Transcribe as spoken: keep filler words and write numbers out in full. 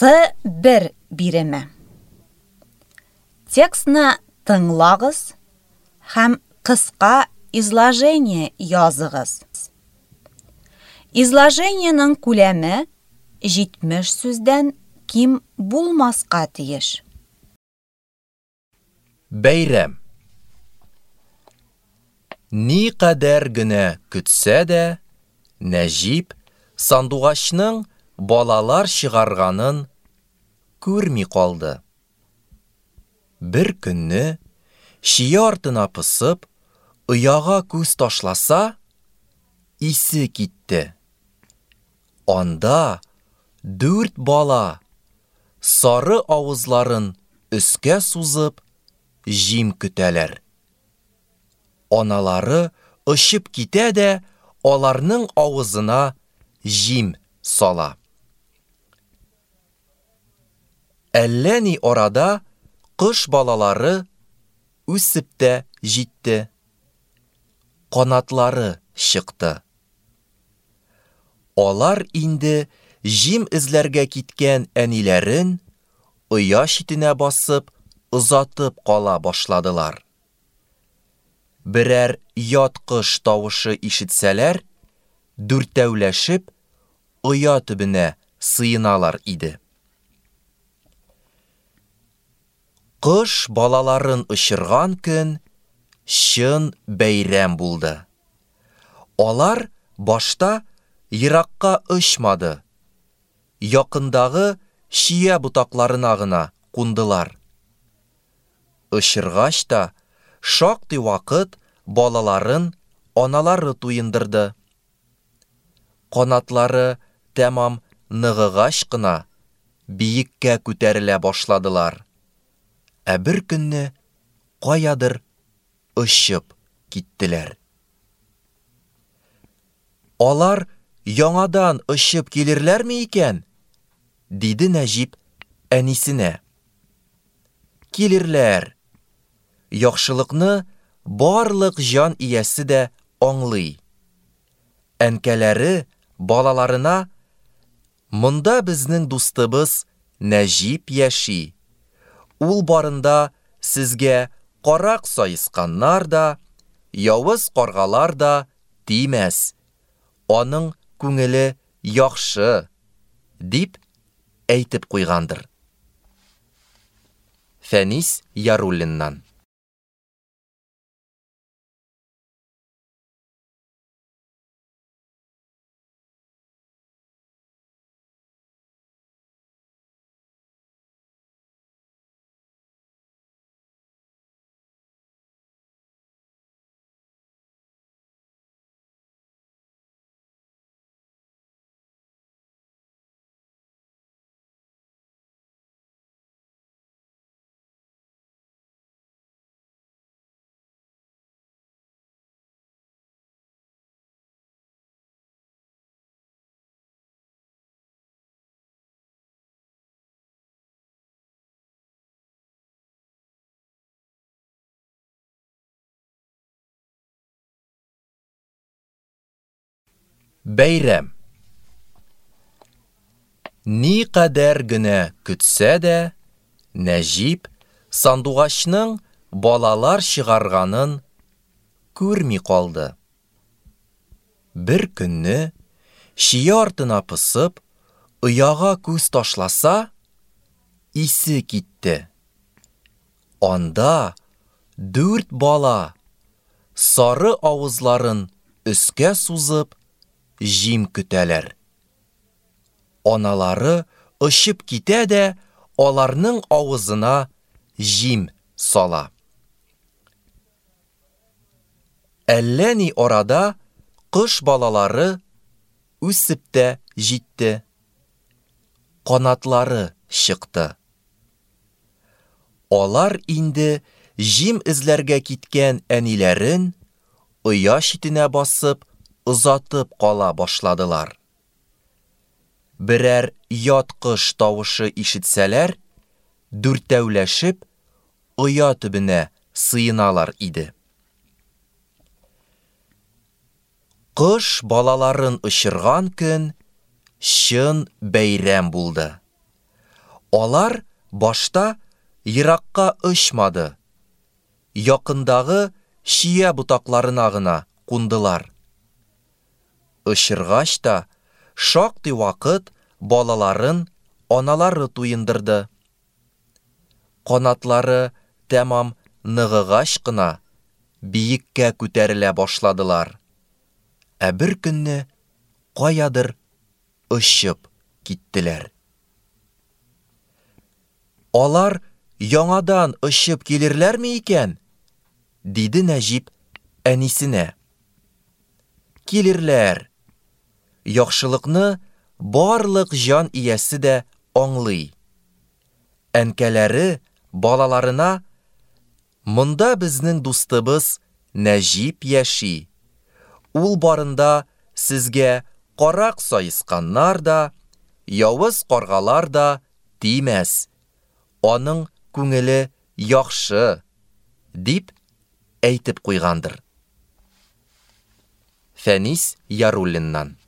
С бер биреме. Текстны тыңлагыз һәм кыска изложение языгыз. Изложениенең күләме җитмеш сүздән ким булмаска тиеш. Бәйрәм. Никадәр генә көтсә дә, Нәҗип сандугачның балалар чыгарганын күрми калды. Бер көнне, чия артына посып, ояга күз ташласа, исе китте. Анда дүрт бала, сары авызларын өскә сузып, җим көтәләр. Аналары очып китә дә аларның авызына җим сала. Әллә ни арада кош балалары үсеп тә җитте. Канатлары чыкты. Алар инде җим эзләргә киткән әниләрен оя читенә басып озатып кала башладылар. Берәр ят кош тавышы ишетсәләр, дүртәүләшеп оя төбенә сыеналар иде. Кош балаларын очырган көн чын бәйрәм булды. Алар башта еракка очмады, якындагы чия ботакларына гына кундылар. Очыргач та шактый вакыт балаларын аналары туендырды. Канатлары тәмам ныгыгач кына биеккә күтәрелә башладылар. Ә бер көнне каядыр очып киттеләр. Алар яңадан очып килерләрме икән? диде Нәҗип әнисенә. Килерләр. Яхшылыкны барлык җан иясе дә аңлый. Әнкәләре балаларына, Монда безнең дустыбыз Нәҗип яши. Ул барында сезгә карак саесканнар да, явыз каргалар да тимәс. Аның күңеле яхшы, дип әйтеп куйгандыр. Фәнис Яруллиннан. Бәйрәм. Никадәр генә көтсә дә, Нәҗип сандугачның балалар чыгарганын күрми калды. Бер көнне, чия артына посып, ояга күз ташласа, исе китте. Анда дүрт бала, сары авызларын өскә сузып, җим көтәләр. Аналары очып китә дә аларның авызына җим сала. Әллә ни арада кош балалары үсеп тә җитте. Канатлары чыкты. Алар инде җим эзләргә киткән әниләрен оя читенә басып озатып кала башладылар. Берәр ят кош тавышы ишетсәләр, дүртәүләшеп оя төбенә сыеналар иде. Кош балаларын очырган көн чын бәйрәм булды. Алар башта еракка очмады, якындагы чия ботакларына гына кундылар. Очыргач та шактый вакыт балаларын аналары туендырды. Канатлары тәмам ныгыгач кына биеккә күтәрелә башладылар. Ә бер көнне каядыр очып киттеләр. Алар яңадан очып килерләрме икән? диде Нәҗип әнисенә. Килерләр. Яхшылыкны барлык җан иясе дә аңлый. Әнкәләре балаларына, Монда безнең дустыбыз Нәҗип яши. Ул барында сезгә карак саесканнар да, явыз каргалар да тимәс. Аның күңеле яхшы, дип әйтеп куйгандыр. Фәнис Яруллиннан.